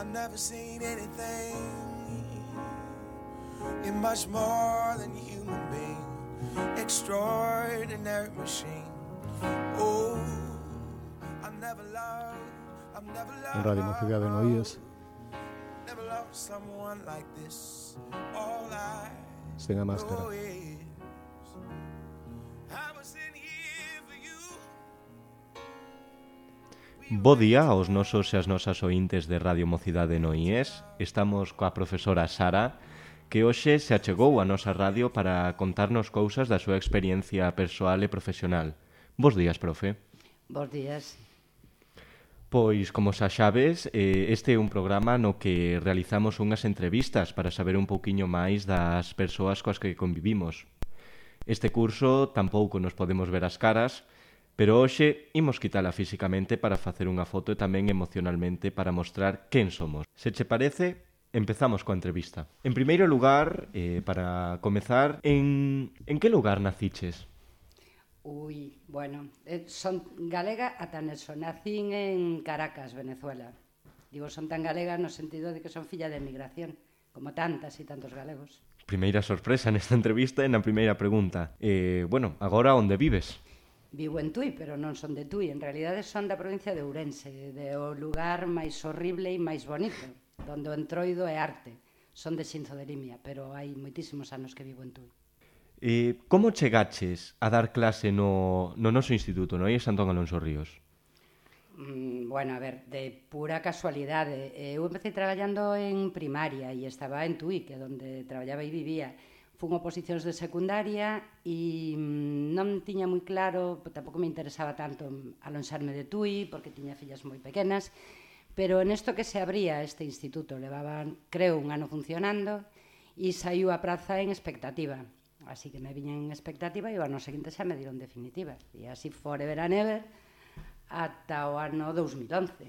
I've never seen anything. You're much more than a human being, extraordinary machine. Oh, I've never loved, I've never loved. En Radio Mocidade no IES. Never loved someone like this. All I Sen a máscara. know is I was in here for you. Bo día aos nosos e as nosas ointes de Radio Mocidade no IES. Estamos coa profesora Sara, que hoxe se achegou a nosa radio para contarnos cousas da súa experiencia persoal e profesional. Bos días, profe. Bos días. Pois, como xa sabes, este é un programa no que realizamos unhas entrevistas para saber un pouquiño máis das persoas coas que convivimos. Este curso tampouco nos podemos ver as caras, pero hoxe imos quitala físicamente para facer unha foto e tamén emocionalmente para mostrar quen somos. Se che parece, empezamos coa entrevista. En primeiro lugar, para comezar, en que lugar naciches? Bueno, son galega ata neso. Nacín en Caracas, Venezuela. Digo, son tan galega no sentido de que son filla de emigración, como tantas e tantos galegos. Primeira sorpresa nesta entrevista e na primeira pregunta. Bueno, agora onde vives? Vivo en Tui, pero non son de Tui. En realidade son da provincia de Ourense, do lugar máis horrible e máis bonito, donde o entroido é arte. Son de Xinzo de Limia, pero hai moitísimos anos que vivo en Tui. Como chegaches a dar clase no noso instituto, no IES Antón Alonso Ríos? Bueno, a ver, de pura casualidade. Eu empecé traballando en primaria e estaba en Tui, que é onde traballaba e vivía. Fun oposicións de secundaria e non tiña moi claro, tampouco me interesaba tanto alonxarme de Tui, porque tiña fillas moi pequenas, pero nesto que se abría este instituto, levaban, creo, un ano funcionando, e saiu a praza en expectativa. Así que me viña en expectativa e o ano seguinte xa me dieron definitiva. E así forever and ever ata o ano 2011,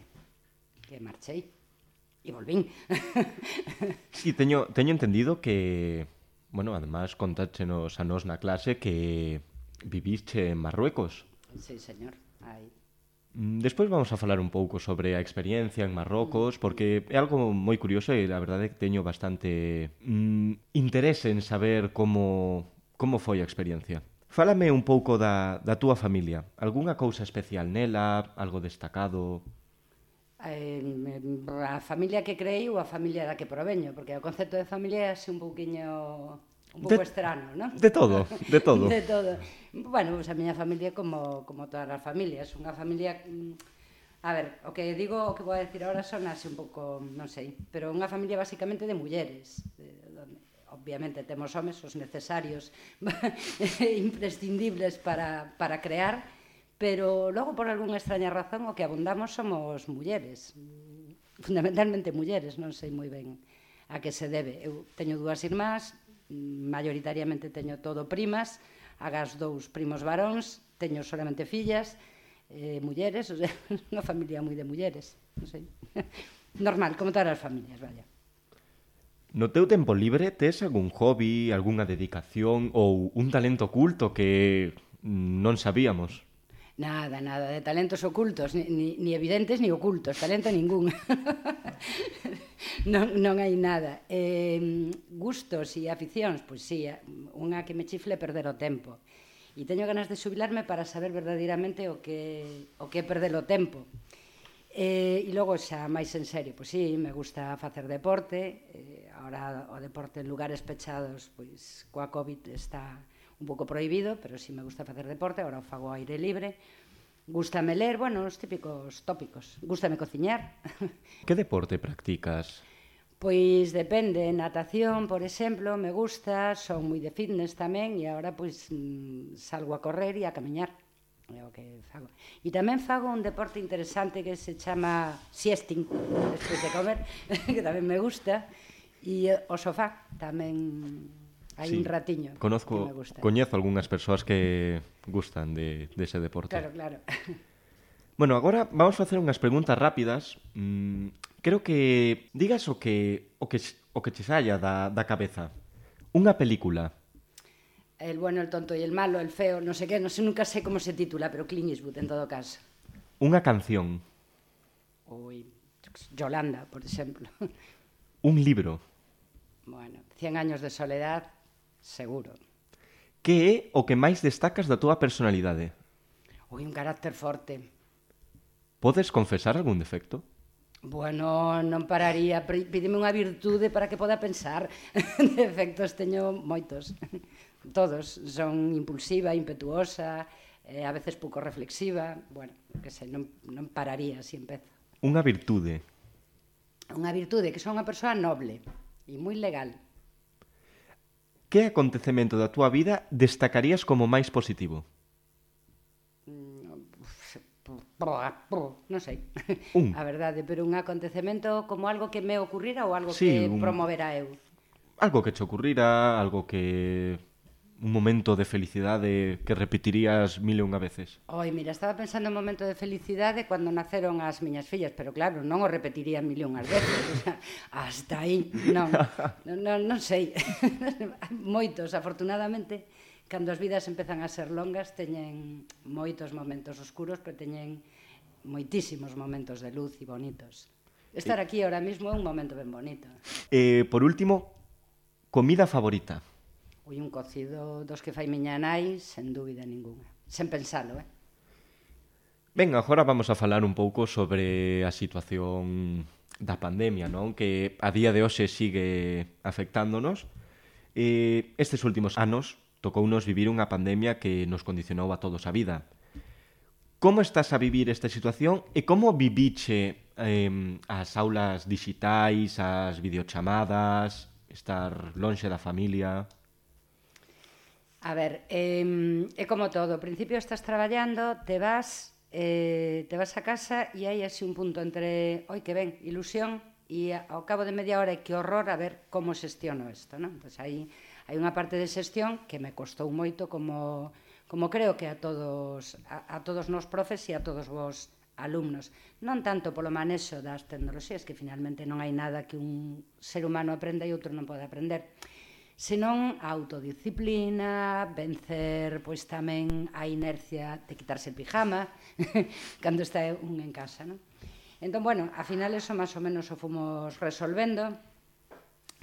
que marchei e volvín. Sí, teño entendido que, bueno, además contáchenos a nos na clase que viviste en Marruecos. Sí, señor, aí. Despois vamos a falar un pouco sobre a experiencia en Marrocos, porque é algo moi curioso e a verdade é que teño bastante interese en saber como foi a experiencia. Fálame un pouco da túa familia. Algúnha cousa especial nela, algo destacado? A familia que creei ou a familia da que proveño, porque o concepto de familia é así un pouquiño... un pouco estrano, non? De todo, de todo. De todo. Bueno, pues a miña familia como todas as familias, unha familia... A ver, o que digo, o que vou a decir agora son así un pouco, non sei, pero unha familia basicamente de mulleres. Obviamente temos homes, os necesarios, imprescindibles para crear, pero logo por algunha extraña razón o que abundamos somos mulleres. Fundamentalmente mulleres, non sei moi ben a que se debe. Eu teño dúas irmás, maioritariamente teño todo primas, agas dous primos varóns, teño solamente fillas, mulleres, o sea, unha familia moi de mulleres, non sei. Normal, como todas as familias, vaya. No teu tempo libre tes algún hobby, algunha dedicación ou un talento oculto que non sabíamos? Nada, de talentos ocultos, ni evidentes ni ocultos, talento ningún. Non hai nada. Gustos e aficións, pois sí, unha que me chifle perder o tempo. E teño ganas de xubilarme para saber verdadeiramente o que é perder o tempo. E logo xa máis en serio, pois sí, me gusta facer deporte. Ahora o deporte en lugares pechados, pois coa COVID está un pouco prohibido, pero sí me gusta facer deporte, agora o fago ao aire libre. Gústame ler, bueno, os típicos tópicos. Gústame cociñar. Que deporte practicas? Pois depende, natación, por exemplo, me gusta, son moi de fitness tamén, e agora pois salgo a correr e a camiñar. É o que fago. E tamén fago un deporte interesante que se chama siesting, despois de comer, que tamén me gusta, e o sofá tamén... Hai un ratiño que me gusta. Coñezo algunhas persoas que gustan de ese deporte. Claro. Bueno, agora vamos a facer unhas preguntas rápidas. Creo que digas o que che saia da cabeza. Unha película. El bueno, el tonto y el malo, el feo, no sé qué, no sé, nunca sé cómo se titula, pero Clint Eastwood en todo caso. Unha canción. Yolanda, por exemplo. Un libro. Bueno, 100 años de soledad, seguro. Que é o que máis destacas da túa personalidade? Ui, un carácter forte. Podes confesar algún defecto? Bueno, non pararía. Pídeme unha virtude para que poda pensar. Defectos teño moitos. Todos. Son impulsiva, impetuosa, a veces pouco reflexiva. Bueno, que sei, non pararía se empezo. Unha virtude. Unha virtude, que son unha persoa noble e moi legal. Que acontecemento da túa vida destacarías como máis positivo? Non sei. Un. A verdade, pero un acontecemento como algo que me ocurrira ou algo Sí, que promovera eu? Algo que che ocurrira, algo que... un momento de felicidade que repetirías mil e unha veces. Oi, mira, estaba pensando en un momento de felicidade cando naceron as miñas fillas, pero claro, non o repetiría mil e unhas veces, o sea, hasta aí, non sei. Moitos, afortunadamente, cando as vidas empezan a ser longas, teñen moitos momentos oscuros, pero teñen moitísimos momentos de luz e bonitos. Estar aquí ahora mismo é un momento ben bonito. Por último, comida favorita. Ui, un cocido dos que fai miña nai, sen dúbida ninguna. Sen pensalo, Ben, agora vamos a falar un pouco sobre a situación da pandemia, non? Que a día de hoxe sigue afectándonos. Estes últimos anos tocounos vivir unha pandemia que nos condicionou a todos a vida. Como estás a vivir esta situación e como viviche as aulas digitais, as videochamadas, estar lonxe da familia? A ver, é como todo. Ao principio estás traballando, te vas a casa e hai así un punto entre, oi, que ben, ilusión, e ao cabo de media hora, que horror a ver como xestiono isto, non? Pois hai unha parte de xestión que me costou moito, como creo que a todos nos profes e a todos vos alumnos. Non tanto polo manexo das tecnoloxías, que finalmente non hai nada que un ser humano aprenda e outro non pode aprender, senón a autodisciplina, vencer pois tamén a inercia de quitarse el pijama cando está un en casa, non? Entón, bueno, a final eso máis ou menos o fomos resolvendo.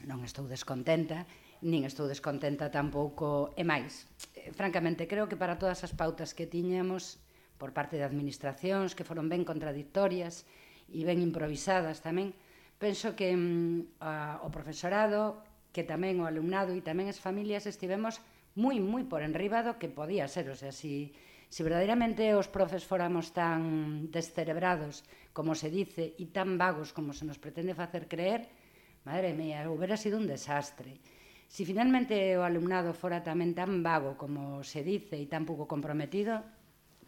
Non estou descontenta, nin estou descontenta tampouco, e máis. Francamente, creo que para todas as pautas que tiñamos por parte de administracións, que foron ben contradictorias e ben improvisadas tamén, penso que o profesorado, que tamén o alumnado e tamén as familias estivemos moi por enriba do que podía ser. O sea, si verdadeiramente os profes fóramos tan descerebrados, como se dice, e tan vagos como se nos pretende facer creer, madre mía, hubiera sido un desastre. Si finalmente o alumnado fora tamén tan vago como se dice e tan pouco comprometido,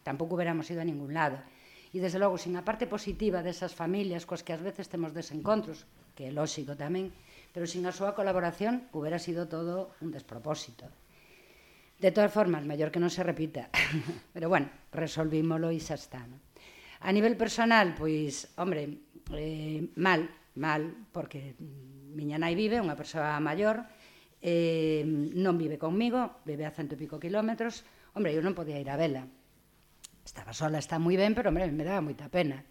tampouco hubiéramos ido a ningún lado. E, desde logo, sin a parte positiva desas familias coas que ás veces temos desencontros, que é lóxico tamén, pero sin a súa colaboración hubiera sido todo un despropósito. De todas formas, mellor que non se repita. Pero bueno, resolvímolo e xa está, non? A nivel personal, pois, hombre, mal, porque miña nai vive, unha persoa maior, non vive conmigo, vive a 100 e pico kilómetros. Hombre, eu non podía ir a vela. Estaba sola, está moi ben, pero, hombre, me daba moita pena.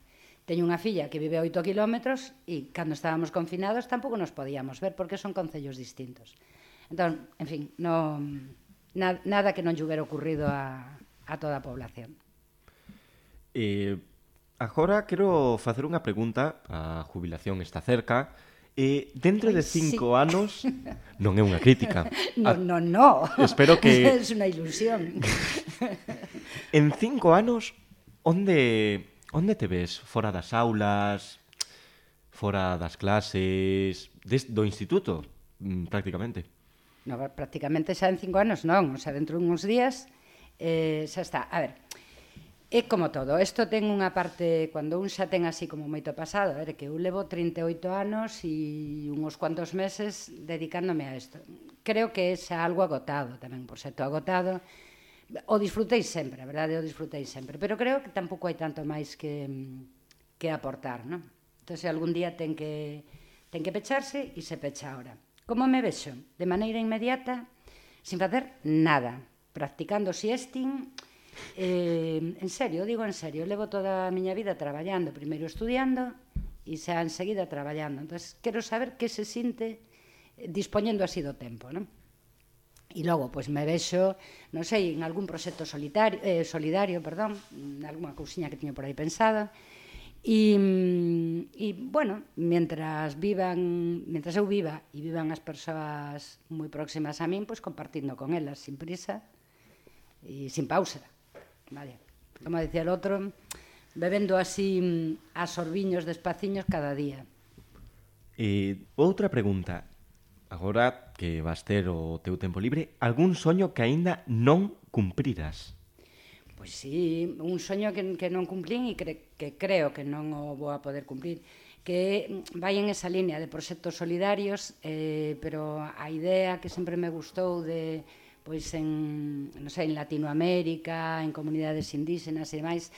Teño unha filla que vive a 8 kilómetros e cando estábamos confinados tampouco nos podíamos ver porque son concellos distintos. Entón, en fin, nada que non lle hubiera ocurrido a toda a población. Agora quero facer unha pregunta, a jubilación está cerca, dentro de 5 anos... Non é unha crítica. No. Espero que... É unha ilusión. En 5 anos, onde te ves? Fora das aulas, fora das clases, do instituto, prácticamente? No, prácticamente xa en 5 anos non, o sea, dentro de uns días xa está. A ver, é como todo, isto ten unha parte, cando un xa ten así como moito pasado, a ver, que eu levo 38 anos e uns cuantos meses dedicándome a isto. Creo que é xa algo agotado tamén, por certo, agotado. O disfrutei sempre, a verdade, o disfrutei sempre, pero creo que tampouco hai tanto máis que aportar, non? Entón, se algún día ten que pecharse e se pecha ahora. Como me vexo? De maneira inmediata, sin facer nada, practicando siesting, en serio, digo en serio, levo toda a miña vida traballando, primeiro estudiando e xa enseguida traballando. Entón, quero saber que se sinte dispoñendo así do tempo, non? E logo, pois, me vexo, non sei, en algún proxecto solidario, en algunha cousiña que tiño por aí pensada, e bueno, mientras eu viva e vivan as persoas moi próximas a min, pois compartindo con elas, sin prisa e sin pausa. Vale. Como decía el outro, bebendo así a sorbiños despaciños cada día. Outra pregunta. Agora que vas ter o teu tempo libre, algún soño que aínda non cumpriras? Pois sí, un soño que non cumplín e que creo que non o vou a poder cumplir, que vai en esa línea de proxectos solidarios, pero a idea que sempre me gustou de, pois, en Latinoamérica, en comunidades indígenas e demais,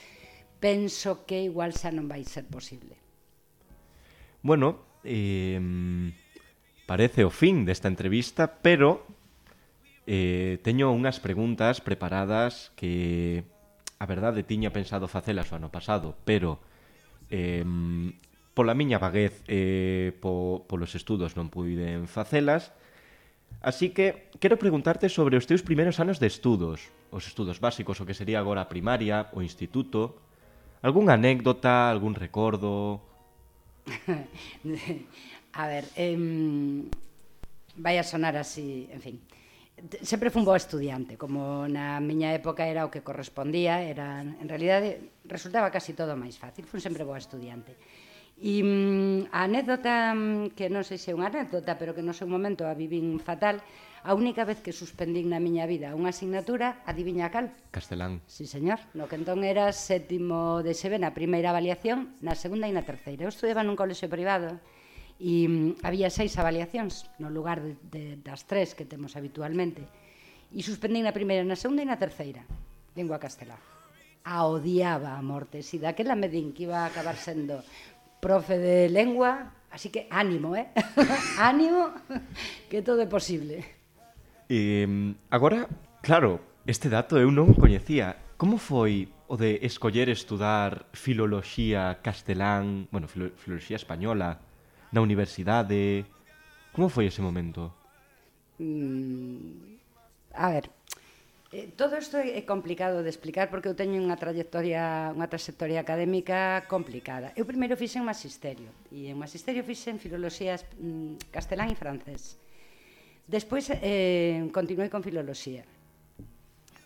penso que igual xa non vai ser posible. Bueno, parece o fin desta entrevista, pero teño unhas preguntas preparadas que a verdade tiña pensado facelas o ano pasado, pero pola miña vaguez polos estudos non puiden facelas, así que quero preguntarte sobre os teus primeiros anos de estudos, os estudos básicos, o que sería agora a primaria, o instituto, algunha anécdota, algún recordo? A ver, vai a sonar así, en fin. Sempre fun boa estudiante, como na miña época era o que correspondía, en realidade resultaba casi todo máis fácil, fun sempre boa estudiante. E a anécdota, que non sei se é unha anécdota, pero que no seu momento a vivín fatal, a única vez que suspendín na miña vida unha asignatura, adiviña cal? Castelán. Sí, señor. No que entón era sétimo de XB na primeira avaliación, na segunda e na terceira. Eu estudiaba nun colexio privado e había 6 avaliacións no lugar das 3 que temos habitualmente. E suspendín na primeira, na segunda e na terceira. Lingua castelá. A odiaba a morte. Si daquela me din que iba a acabar sendo profe de lengua, así que ánimo, ánimo, que todo é posible. Agora, claro, este dato eu non coñecía. Como foi o de escoller estudar filoloxía castelán, bueno, filoloxía española, na universidade? Como foi ese momento? A ver, todo isto é complicado de explicar porque eu teño unha trayectoria académica complicada. Eu primeiro fixen magisterio, e en magisterio fixen filoloxía castelán e francés. Despois continuei con filoloxía.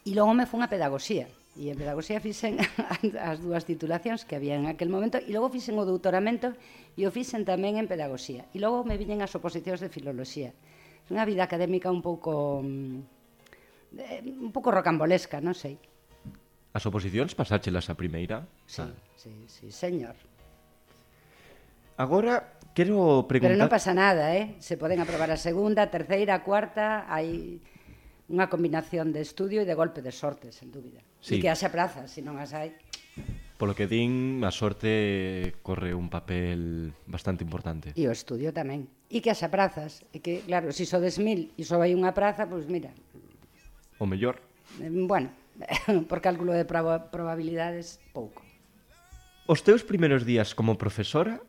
E logo me fun a pedagogía. E en pedagogía fixen as 2 titulacións que había en aquel momento, e logo fixen o doutoramento e o fixen tamén en pedagogía. E logo me viñen as oposicións de filoloxía. É unha vida académica un pouco rocambolesca, non sei. As oposicións pasáchelas a primeira? Sí, señor. Agora, quero preguntar... Pero non pasa nada, Se poden aprobar a segunda, a terceira, a cuarta, hai unha combinación de estudio e de golpe de sorte, sen dúbida. Sí. E que haxa prazas, se non as hai. Polo que din, a sorte corre un papel bastante importante. E o estudio tamén. E que haxa prazas. E que, claro, se sodes 1000 e só hai unha praza, pois mira... O mellor. Bueno, por cálculo de probabilidades, pouco. Os teus primeiros días como profesora,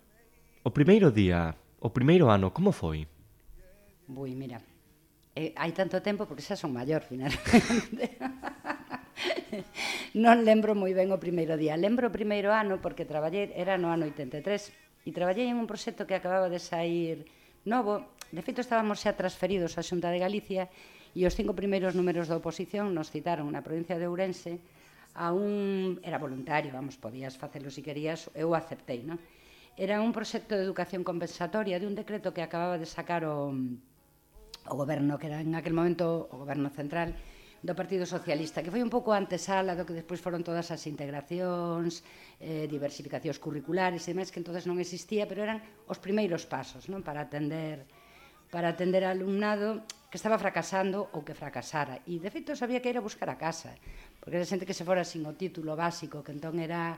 o primeiro día, o primeiro ano, como foi? Bui, mira, hai tanto tempo porque xa son maior, finalmente. Non lembro moi ben o primeiro día. Lembro o primeiro ano porque traballei, era no ano 83, e traballei en un proxecto que acababa de sair novo. De feito, estábamos xa transferidos á Xunta de Galicia e os 5 primeiros números da oposición nos citaron na provincia de Ourense a un... Era voluntario, vamos, podías facelo se querías, eu aceptei, non? Era un proxecto de educación compensatoria de un decreto que acababa de sacar o goberno, que era en aquel momento o goberno central do Partido Socialista, que foi un pouco antesala do que despois foron todas as integracións, diversificacións curriculares e demais, que entonces non existía, pero eran os primeiros pasos, non, para atender ao alumnado que estaba fracasando ou que fracasara. E, de feito, sabía que era buscar a casa, porque era xente que se fora sin o título básico, que entón era...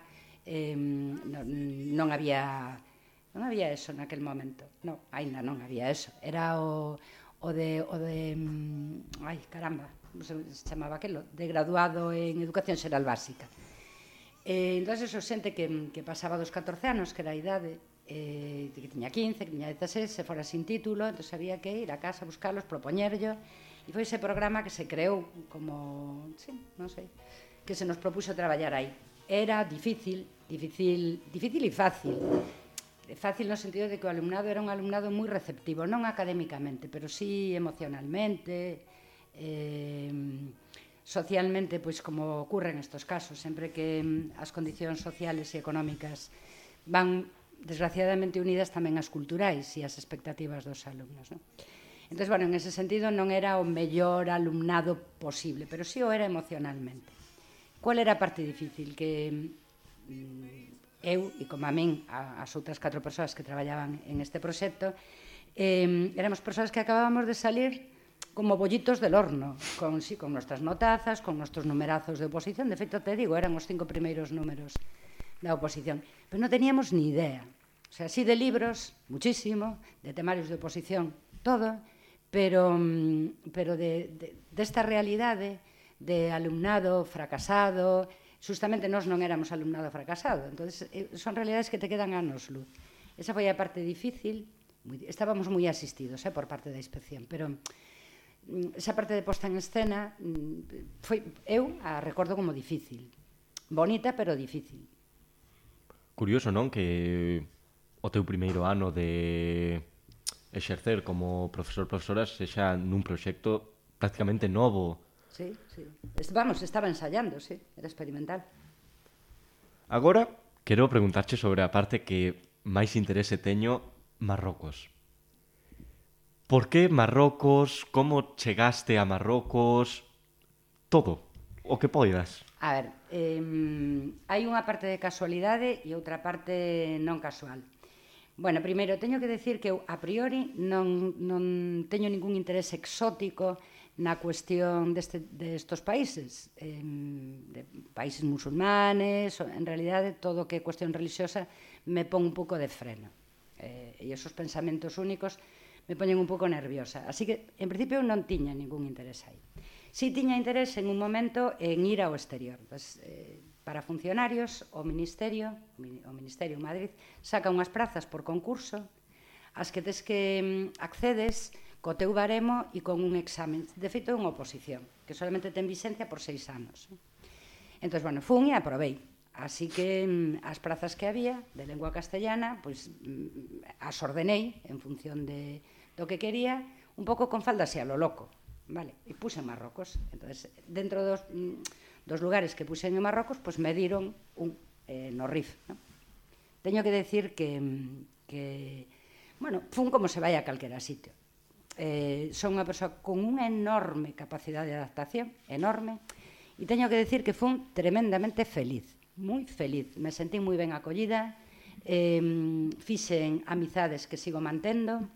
non había eso naquel momento. Non, aínda non había eso. Era o de ai, caramba, como se chamaba aquelo, de graduado en Educación Xeral Básica. Entón, eso, xente que pasaba dos 14 anos, que era a idade, que tiña 15, que tiña 16, se fora sin título, entón había que ir a casa a buscarlos, propoñerlo, e foi ese programa que se creou como, sí, non sei, que se nos propuxo traballar aí. Era difícil e fácil. Fácil no sentido de que o alumnado era un alumnado moi receptivo, non académicamente, pero sí emocionalmente, socialmente, pois como ocurre en estos casos, sempre que as condicións sociales e económicas van desgraciadamente unidas tamén as culturais e as expectativas dos alumnos, non? Entón, bueno, en ese sentido non era o mellor alumnado posible, pero sí o era emocionalmente. Qual era a parte difícil? Que eu, e como a min, as outras 4 persoas que traballaban en este proxecto, éramos persoas que acabábamos de salir como bollitos del horno, con nuestras notazas, con nuestros numerazos de oposición. De feito, te digo, eran os 5 primeiros números da oposición. Pero non teníamos ni idea. O sea, sí de libros, muchísimo, de temarios de oposición, todo, pero desta realidade de alumnado fracasado, justamente nós non éramos alumnado fracasado, entón son realidades que te quedan anos luz. Esa foi a parte difícil, estábamos moi asistidos por parte da inspección, pero esa parte de posta en escena eu a recordo como difícil, bonita pero difícil. Curioso, non? Que o teu primeiro ano de exercer como profesora sexa nun proxecto prácticamente novo. Sí, sí. Vamos, estaba ensayando, sí, era experimental. Agora, quero preguntarche sobre a parte que máis interese teño, Marrocos. Por que Marrocos? Como chegaste a Marrocos? Todo, o que poidas. A ver, hai unha parte de casualidade e outra parte non casual. Bueno, primeiro, teño que decir que eu, a priori, non teño ningún interese exótico na cuestión destos países, de países musulmanes, en realidade, todo o que é cuestión religiosa me pon un pouco de freno. E esos pensamentos únicos me poñen un pouco nerviosa. Así que, en principio, non tiña ningún interese aí. Si tiña interese en un momento en ir ao exterior. Pues, para funcionarios, o Ministerio en Madrid saca unhas prazas por concurso as que tes que accedes co teu baremo e con un examen. De feito, é unha oposición, que solamente ten vigencia por 6 anos. Entón, bueno, fun e aprobei. Así que as prazas que había de lengua castellana, pois as ordenei en función do que quería, un pouco con faldas e a lo loco. Vale, e puse en Marrocos. Entonces, dentro dos lugares que puse en Marrocos, pues me dieron no RIF, ¿no? Teño que decir que bueno, fun como se vai a calquera sitio. Son unha persoa con unha enorme capacidade de adaptación, enorme, e teño que decir que fun tremendamente feliz, moi feliz. Me sentí moi ben acollida, fixen amizades que sigo mantendo,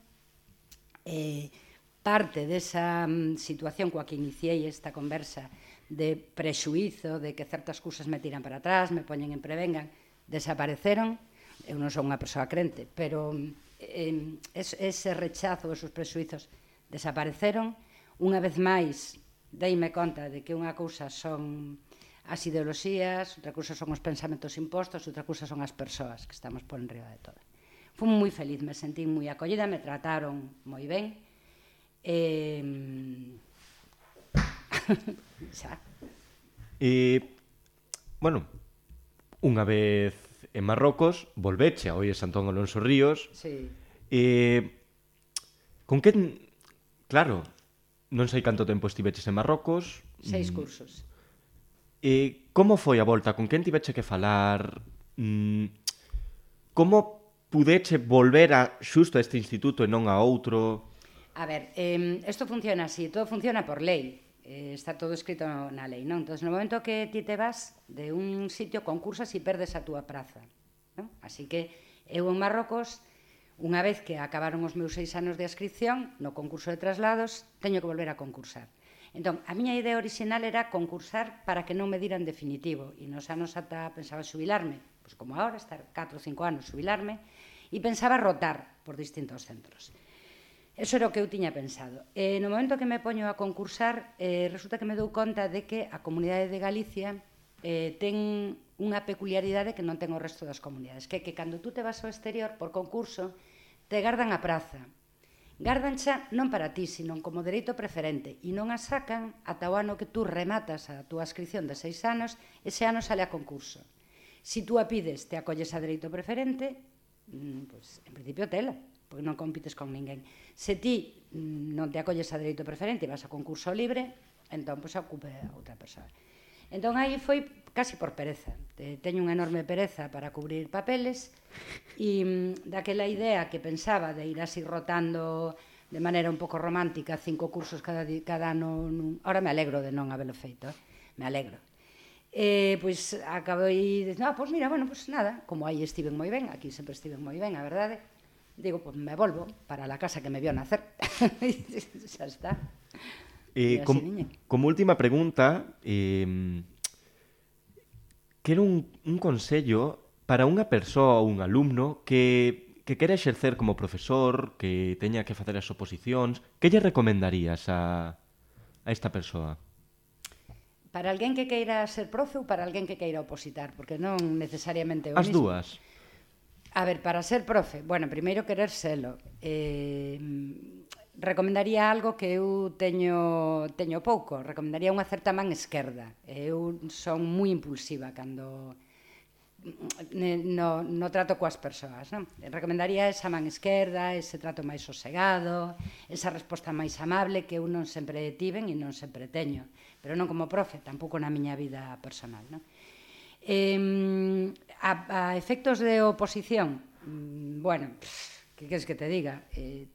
parte desa situación coa que iniciei esta conversa de prexuízo, de que certas cousas me tiran para atrás, me poñen en prevengan, desapareceron. Eu non son unha persoa crente, pero ese rechazo, esos prexuizos desapareceron. Unha vez máis, deime conta de que unha cousa son as ideoloxías, outra cousa son os pensamentos impostos, outra cousa son as persoas que estamos por enriba de todo. Fui moi feliz, me sentí moi acollida, me trataron moi ben. Xa. Bueno, unha vez en Marrocos, volveche a Oies Antón Alonso Ríos. Sí. Con que... Claro, non sei canto tempo estiveches en Marrocos. 6 cursos. Como foi a volta? Con quen tiveche que falar? Como pudeche volver a xusto a este instituto e non a outro? A ver, isto funciona así, todo funciona por lei, está todo escrito na lei, non? Entón, no momento que ti te vas de un sitio, concursas e perdes a túa praza, non? Así que eu en Marrocos, unha vez que acabaron os meus 6 anos de adscripción, no concurso de traslados, teño que volver a concursar. Entón, a miña idea orixinal era concursar para que non me diran definitivo, e nos anos ata pensaba xubilarme, pois como agora, estar 4 ou 5 anos xubilarme, e pensaba rotar por distintos centros. Eso era o que eu tiña pensado. No momento que me poño a concursar, resulta que me dou conta de que a Comunidade de Galicia ten unha peculiaridade que non ten o resto das comunidades, que cando tú te vas ao exterior por concurso, te gardan a praza. Gardancha non para ti, sino como dereito preferente, e non a sacan ata o ano que tú rematas a túa inscripción de 6 anos, ese ano sale a concurso. Si tú a pides, te acolles a dereito preferente, pues, en principio tela, porque non compites con ninguén. Se ti non te acolles a dereito preferente e vas a concurso libre, entón, pues, ocupe a outra persoa. Entón, aí foi casi por pereza. Teño unha enorme pereza para cubrir papeles e daquela idea que pensaba de ir así rotando de maneira un pouco romántica 5 cursos cada ano. Ahora me alegro de non habelo feito, me alegro. Pois acabei de pois mira, bueno, pois nada, como aí estiven moi ben, aquí sempre estiven moi ben, a verdade, digo, pois me volvo para la casa que me vio nacer. Xa está. Como última pregunta, quero un consello para unha persoa ou un alumno que quere exercer como profesor, que teña que facer as oposicións. Que lle recomendarías a esta persoa? Para alguén que queira ser profe ou para alguén que queira opositar? Porque non necesariamente o As mismo. dúas. A ver, para ser profe, bueno, primeiro querer selo. Recomendaría algo que eu teño pouco. Recomendaría unha certa man esquerda. Eu son moi impulsiva cando no trato coas persoas, non? Recomendaría esa man esquerda, ese trato máis sosegado, esa resposta máis amable que eu non sempre tiven e non sempre teño, pero non como profe, tampouco na miña vida personal, non? A efectos de oposición, bueno, que queres que te diga?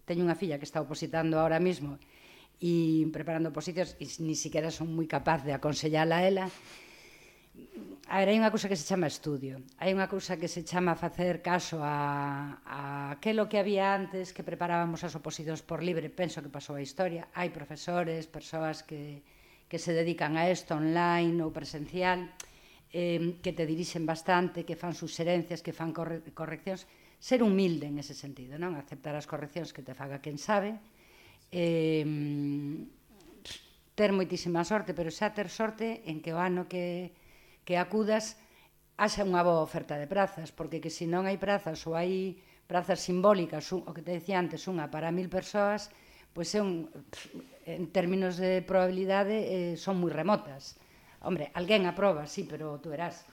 Teño unha filla que está opositando ahora mismo e preparando oposicións e ni siquiera son moi capaz de aconsellala a ela. A ver, hai unha cousa que se chama estudio, hai unha cousa que se chama facer caso a aquelo que había antes que preparábamos as oposicións por libre. Penso que pasou a historia, hai profesores, persoas que se dedican a isto online ou presencial, que te dirixen bastante, que fan suxerencias, que fan correccións. Ser humilde en ese sentido, non? Aceptar as correccións que te faga quen sabe, ter moitísima sorte, pero xa ter sorte en que o ano que acudas haxa unha boa oferta de prazas, porque que se non hai prazas ou hai prazas simbólicas, o que te decía antes, unha para 1000 persoas, pois en términos de probabilidade son moi remotas. Hombre, alguén aproba, sí, pero tú verás.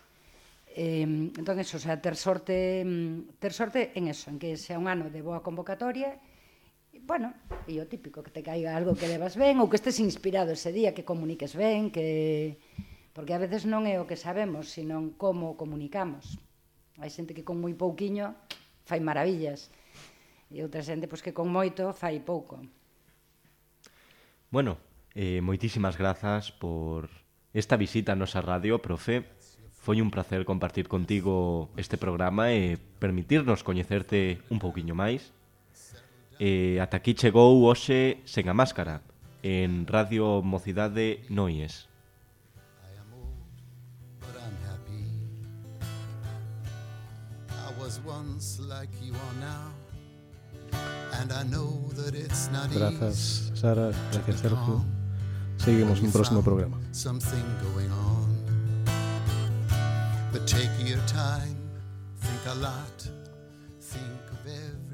Entón, eso, o sea, ter sorte en eso, en que sea un ano de boa convocatoria, bueno, e o típico, que te caiga algo que levas ben, ou que estés inspirado ese día, que comuniques ben, porque a veces non é o que sabemos, sino como comunicamos. Hai xente que con moi pouquiño fai maravillas, e outra xente que con moito fai pouco. Bueno, moitísimas grazas por esta visita a nosa radio, profe. Foi un placer compartir contigo este programa e permitirnos coñecerte un pouquiño máis. Ata aquí chegou hoxe Sen a Máscara, en Radio Mocidade Noies. Grazas, Sara, gracias, Sergio. Seguimos no próximo programa. But take your time, think a lot, think of everything.